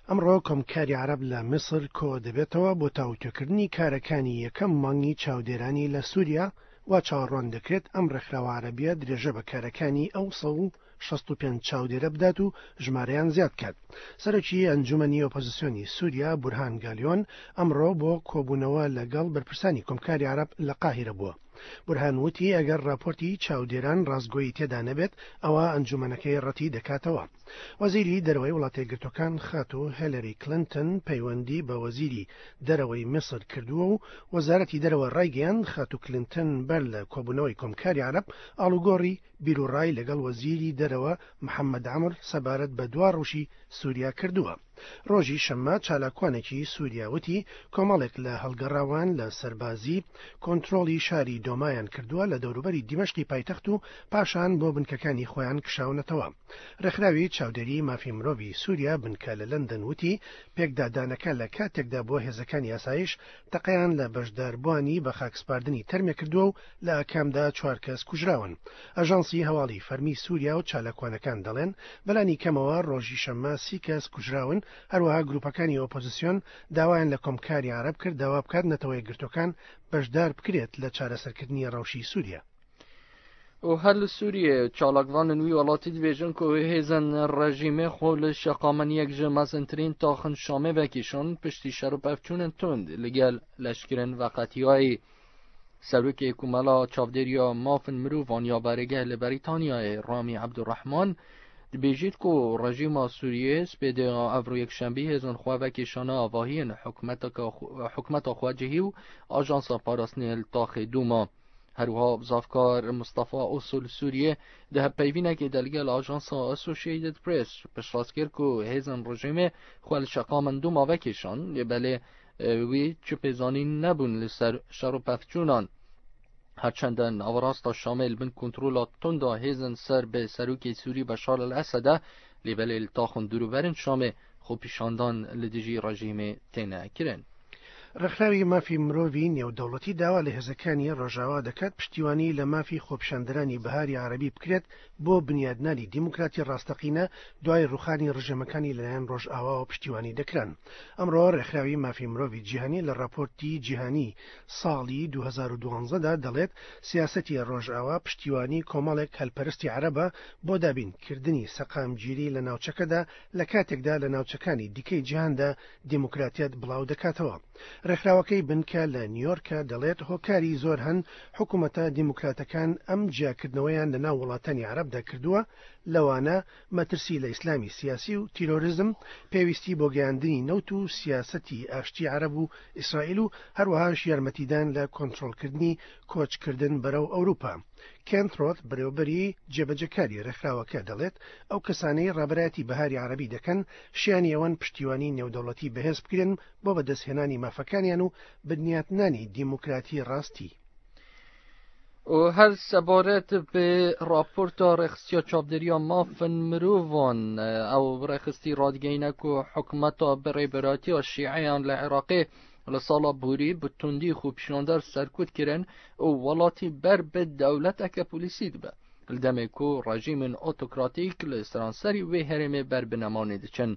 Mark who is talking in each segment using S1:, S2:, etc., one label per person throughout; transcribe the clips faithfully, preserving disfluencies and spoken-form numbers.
S1: ئەمڕۆ کۆمکاری عەرەب لە میسر کۆ دەبێتەوە بۆ تاوتوێکردنی کارەکانی یەکەم مانگی چاودێرانی لە سووریا و چاوەڕوان دەکرێت ئەم ڕێکخراوە عەرەبیە درێژە بە کارەکانی ئەو سەد و شەست و پێنج چاودێرە بدات و ژمارەیان زیاد بکات. سەرۆکی ئەنجومەنی ئۆپۆزیسیۆنی سووریا بورهان گالیۆن ئەمڕۆ بۆ کۆبوونەوە لەگەڵ بەرپرسانی کۆمکاری عەرەب لە قاهیرە بووە. بورهان وتی ئەگەر راپۆرتی چاودێران ڕاستگۆیی تێدا نەبێت ئەوە ئەنجومەنەکەی ڕەتی دەکاتەوە. وەزیری دەرەوەی وڵاتە یەکگرتووەکان خاتوو هێلەری کلینتن پەیوەندی بە وەزیری دەرەوەی میسر کردووە و وەزارەتی دەرەوە ڕایگەیاند خاتوو کلینتن بەر لە کۆبوونەوەی کۆمکاری عەرەب ئاڵوگۆڕی بیروڕای لەگەڵ وەزیری دەرەوە محەممەد عەمر سەبارەت بە دوا ڕەوشی سووریا کردووە. ڕۆژی شەممە چالاکوانێکی سووریا وتی کۆمەڵێک لە هەڵگەڕاوان لە سەربازی کۆنترۆڵی شاری دۆمایان کردووە لە دەوروبەری دیمەشقی پایتەخت و پاشان بۆ بنکەکانی خۆیان کشاونەتەوە. ڕێکخراوی چاودێری مافی مرۆڤی سووریا بنکە لە لەندەن وتی پێکدادانەکە لە کاتێکدا بۆ هێزەکانی ئاسایش تەقەیان لە بەشداربووانی بە خاکسپاردنی تەرمێ کردووە و لە ئاکامدا چوار کەس کوژراون. ئاژانسی هەواڵی فەرمی سووریا و چالاکوانەکان دەڵێن بەلانی کەمەوە ڕۆژی شەممە سی کەس کوژراون. هەروەها گروپەکانی ئۆپۆزیسیۆن داوایان لە کۆمکاری عەرەب کرد داوا بکات نەتەوە یەکگرتووەکان بەشدار بکرێت لە چارەسەرکردنی ڕەوشی سووریا.
S2: و هەر لە سووریە چالاکوانن وی وڵاتی دبێژن کە هێزن ڕژیمێ خۆ لە شەقامن یەک ژە مەزنترین تاخن شامێ vekişan پشتی شەڕ و پەفچوونن تند لەگەل لەشکرن وەقەتیایی. سەرۆکی کومەڵا چاودێریە مافن مرۆڤان یا بەرگە لە بەریتانیای ڕامی عەبدولڕەحمان دبێژیت کو ڕژیما سووریە سپێدە ئەڤرۆ یەکشەنبی هێزن خوا vekişana avahiyên حکومەتا خواجهی و ئاژانسا پاراستنê li taxê Dûma. هەروەها بزافکار مستەفا ئوسول سووریە di hevpeyvînekê de ligel ajansa Associated Press piştrast kir ku hêzên rejîmê xwe li şeqamên Dûma vekişan, lê belê wî çi pêzanîn nebûn li ser şer û pevçûnan. هەرچەندە ناوەڕاستە شامê li bin kontrola tunda hêzên ser bi serokê Sûrî Beşar el-Esed e, lê belê li taxên dûrûberên Şamê xwepêşandan li dijî rejîmê têne kirin.
S1: ڕێکخراوی مافی مرۆڤی نێودەوڵەتی داوا لە هێزەکانی ڕۆژاوا دەکات پشتیوانی لە مافی خۆپیشاندەرانی بەهاری عەرەبی بکرێت بۆ بنیادنانی دیموکراتی ڕاستەقینە دوای ڕوخانی ڕژێمەکانی لەلایەن ڕۆژئاواوە پشتیوانی دەکران. ئەمڕۆ ڕێکخراوی مافی مرۆڤی جیهانی لە راپۆرتی جیهانی ساڵی دوو هەزار و دوازدە دەڵێت سیاسەتی ڕۆژئاوا پشتیوانی کۆمەڵێک هەلپەرستی عەرەبە بۆ دابینکردنی سەقامگیری لە ناوچەکەدا لە کاتێکدا لە ناوچەکانی دیکەی جیهاندا دیموکراتیەت بڵاو دەکاتەوە. ڕێکخراوەکەی بنکە لە نیویۆرکە دەڵێت هۆکاری زۆر هەن حکوومەتە دیموکراتەکان ئەم جیاکردنەوەیان لە ناو وڵاتانی عەرەبدا کردووە، لەوانە مەترسی لە ئیسلامی سیاسی و تیرۆریزم، پێویستی بۆ گەیاندنی نەوت و سیاسەتی ئاشتی عەرەب و ئیسرائیل و هەروەهاش یارمەتیدان لە کۆنترۆڵکردنی کۆچکردن بەرەو ئەوروپا. کێنت ڕۆت بەرێوبەری جێبەجێکاری ڕێکخراوەکە دەڵێت ئەو کەسانەی ڕابەرایەتی بەهاری عەرەبی دەکەن شیانی ئەوەن پشتیوانی نێودەوڵەتی بەهێز بکرێن بۆ بەدەستهێنانی مافەکانیان و بنیاتنانی دیموکراتی ڕاستی.
S2: و هەر سەبارەت بە راپۆرتا ڕێخستیا چاودێریە مافن مرۆڤان ئەو ڕێخستی ڕادگەینە کو حکومەتا بەڕێبەراتیە شیعەیان لە عێراقێ لە ساڵا بوری بە توندی خۆپیشاندەر سەرکوت کردن و وڵاتی بەر بە دەوڵەتەکە پۆلیسی دبە. لە دەمێک و ڕژیمن ئۆتۆکراتیک لە سەرانسەری وێ هەرێمێ بەر بنەمانێ دچن.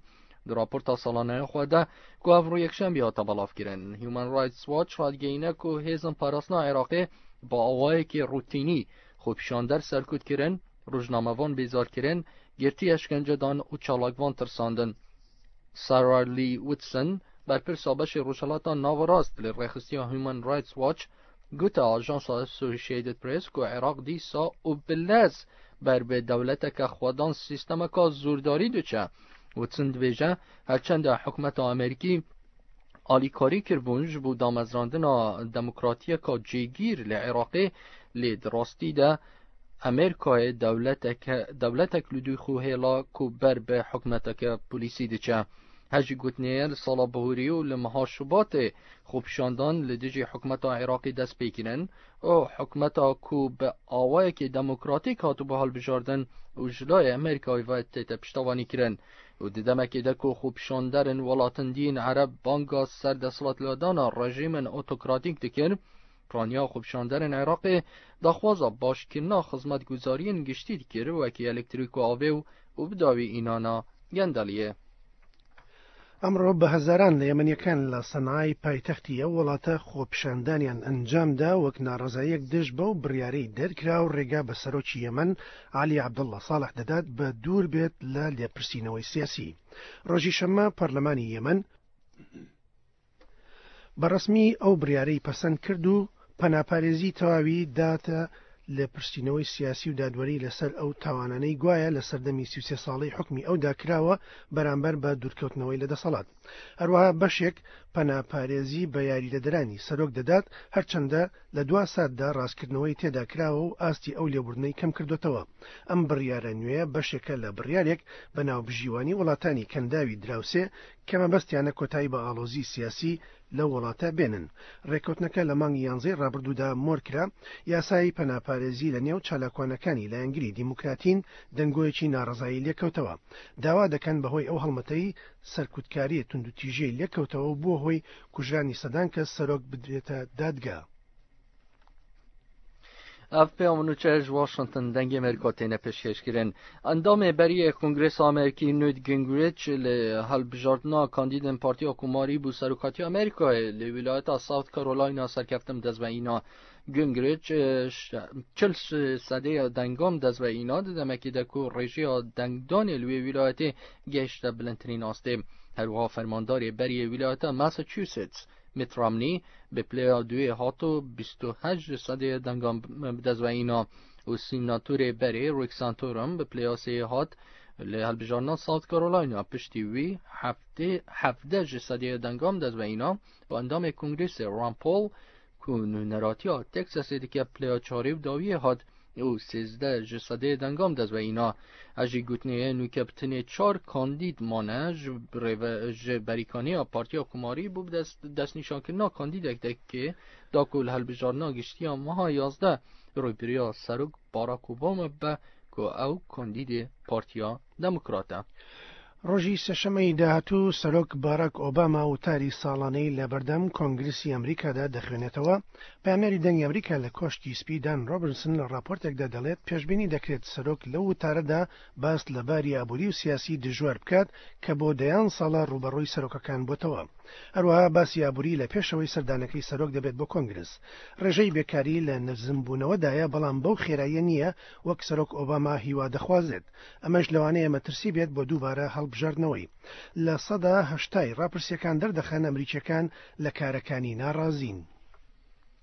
S2: د راپۆرتا ساڵانەیە خۆدا کو ئەڤڕۆ یەکشەنبی هاتە بەڵاوکردن. هیومن ڕایتس واچ ڕادگەینە کو هێزن پاراستنا عێراقێ بە ئاوایەکی ڕوتینی خۆپیشاندەر سەرکوت کردن، ڕۆژنامەوان بێزارکردن، گرتی ئەشکەنجەدان و چالاکوان ترساندن. سارا لی وتسن بەرپرسا بەشی ڕۆژهەڵاتە ناوەڕاست لە ڕێخستیا هیومن ڕایتس واچ گوتە ئاژانسا ئەسۆسیەتد پرێس کو عێراق دیسا و بلەز بەر بە دەوڵەتەکە خوادان سیستەمەکە زۆرداری دچە. وتسن دبێژە هەرچەندە حکومەتە ئەمریکی ئالیکاری کردبوون ji bo damezrandina demokratiyeka cêgîr li Iraqê lê di rastî de Amerîkayê dewletek li dû xwe hêla ku ber bi hikûmeteke polîsî diçe. Hejî gotinê li sala bihûrî û li meha Şubatê xwepêşandan li dijî hikûmeta Iraqê dest pê kirin û hikûmeta ku bi awayekî demokratîk hatibû hilbijardin û ji layê Amerîkayê ve tête piştevanî kirin. و di demekê de ku xwepêşanderên welatên dîn Ereb banga ser desthilatladana rejîmên otokratîk dikir, piraniya xwepêşanderên Iraqê daxwaza başkirina xizmetguzariyên giştî dikir wekî elektrîk û avê û bi dawî înana gendeliyê.
S1: ئەمڕۆ بە هەزاران لە یەمەنیەکان لە سەنعای پایتەختی ئەو وڵاتە خۆپیشاندانیان ئەنجامدا وەک ناڕەزاییەک دژ بەو بڕیارەی دەرکرا و ڕێگا بە سەرۆکی یەمەن عەلی عەبدوڵڵا ساڵح دەدات بە دوور بێت لە لێپرسینەوەی سیاسی. ڕۆژی شەممە پەرلەمانی یەمەن بەڕسمی ئەو بڕیارەی پەسەند کرد و پەناپارێزی تەواوی داتە لێپرسینەوەی سیاسی و دادوەری لەسەر ئەو تاوانانەی گوایە لە سەردەمی سی و سێ ساڵەی حکمی ئەودا کراوە بەرامبەر بە دوورکەوتنەوەی لە دەسەڵات. هەروەها بەشێک پەناپارێزی بە یاریدەدەرانی سەرۆک دەدات، هەرچەندە لە دوا ساتدا ڕاستکردنەوەی تێدا کراوە و ئاستی ئەو لێبوردنەی کەم کردوتەوە. ئەم بڕیارە نوێیە بەشێکە لە بڕیارێک بە ناوبژیوانی وڵاتانی کەنداوی دراوسێ کە مەبەستیانە کۆتایی بە ئاڵۆزی سیاسی لەو وڵاتە بێنن. ڕێککەوتنەکە لە مانگی یانزەی ڕابردوودا مۆرکرا. یاسایی پەناپارێزی لە نێو چالاکوانەکانی لایەنگری دیموکراتین دەنگۆیەکی ناڕەزایی لێکەوتەوە. داوا دەکەن بەهۆی ئەو هەڵمەتەی سەرکوتکاری توندوتیژیی لێکەوتەوە و بووە هۆی کوژرانی سەدان کەس سەرۆک بدرێتە دادگا.
S2: ئەف پێوەنوچەش واشنگتن دەنگی ئەمریکا تێنە پێشکێشکردن. ئەندامێ بەریە کۆنگرس ئەمریکی نوت گینگریچ لە هەڵبژاردنا کاندیدن پارتی کۆماری بوو سەرۆکاتی ئەمریکای لە ویلایەتا ساوت کارۆلاینا سەرکەفتم دەست بە ئینا. گینگریچ چل سەدەی دەنگام دەست بە ئینا دەمەکی دەکو ڕێژەیە دەنگدانی لەوێ ویلایەتی گەیشتە بلندترین ئاستێ. هەروەها فەرمانداری بەریە ویلایەتە ماساچوستس میت رامنی به پلیا دوی هاتو بیست و هشت سده دنگام بدست و اینا و سیناتور بری ریک سانتورم به پلیا سه هات لهەڵبژاردنا ساوت کارۆلاینا پشتی وی هەفدە ji سەدەیە دەنگام دەست بە ئینا و ئەندامێ کۆنگرسی ڕان پۆل کو نوێنەراتیا تەکساسێ دکە پلیا چارێ و داویە هات و سێزدە ji سەدەیە دەنگام دەست بە ئینا. ئەژی گوتنەیە نوکە بتنێ چوار کاندید مانە ji بەریکانەیە پارتیا کوماری بوو دەستنیشانکردنا کاندیدێک دەکێ داکو لە هەڵبژاردنا گشتیە ماها یازدە ڕووبەروویا سەرۆک باراک ئۆباما بە کو ئەو کاندیدێ پارتیا دەموکراتە.
S1: ڕۆژی سێشەممەی داهاتوو سەرۆک باراک ئۆباما وتاری ساڵانەی لەبەردەم کۆنگرسی ئەمریکادا دەخوێنێتەوە. پەیامنێری دەنگی ئەمریکا لە کۆشکی سپی دان ڕۆبنسن لە ڕاپۆرتێکدا دەڵێت پێشبینی دەکرێت سەرۆک لەو وتارەدا باس لە باری ئابووری و سیاسی دژوار بکات کە بۆ دەیان ساڵە ڕووبەڕووی سەرۆکەکان بۆتەوە. هەروەها باسی ئابووری لە پێشەوەی سەردانەکەی سەرۆک دەبێت بۆ کۆنگرس. ڕێژەی بێکاری لە نزمبوونەوەدایە، بەڵام بەو خێراییە نییە وەک سەرۆک ئۆباما هیوا دەخوازێت. ئەمەش لەوانەیە مەترسی بێت بۆ دووبارە هەڵبژاردنەوەی. لە سەدا هەشتای ڕاپرسیەکان دەردەخەن ئەمریکیەکان لە کارەکانی ناڕازین.